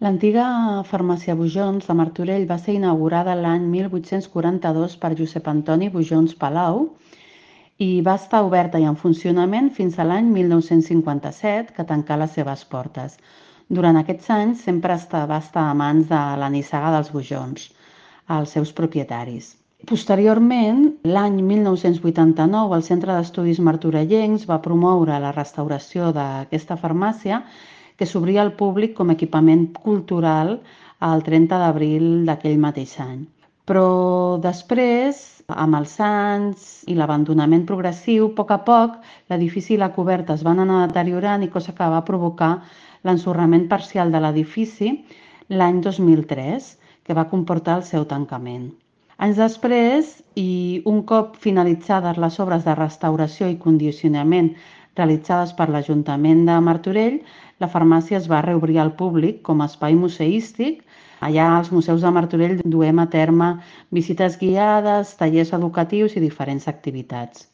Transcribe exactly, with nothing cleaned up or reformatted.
L'antiga farmàcia Bujons de Martorell va ser inaugurada l'any mil vuit-cents quaranta-dos per Josep Antoni Bujons Palau i va estar oberta i en funcionament fins a l'any mil nou-cents cinquanta-set, que tancà les seves portes. Durant aquests anys sempre va estar a mans de la nissaga dels Bujons, els seus propietaris. Posteriorment, l'any mil nou-cents vuitanta-nou, el Centre d'Estudis Martorellencs va promoure la restauració d'aquesta farmàcia, que s'obria al públic com a equipament cultural el trenta d'abril d'aquell mateix any. Però després, amb els anys i l'abandonament progressiu, a poc a poc l'edifici i la coberta es van anar deteriorant i cosa que va provocar l'ensorrament parcial de l'edifici l'any dos mil tres, que va comportar el seu tancament. Anys després, i un cop finalitzades les obres de restauració i condicionament realitzades per l'Ajuntament de Martorell, la farmàcia es va reobrir al públic com a espai museístic. Allà als museus de Martorell duem a terme visites guiades, tallers educatius i diferents activitats.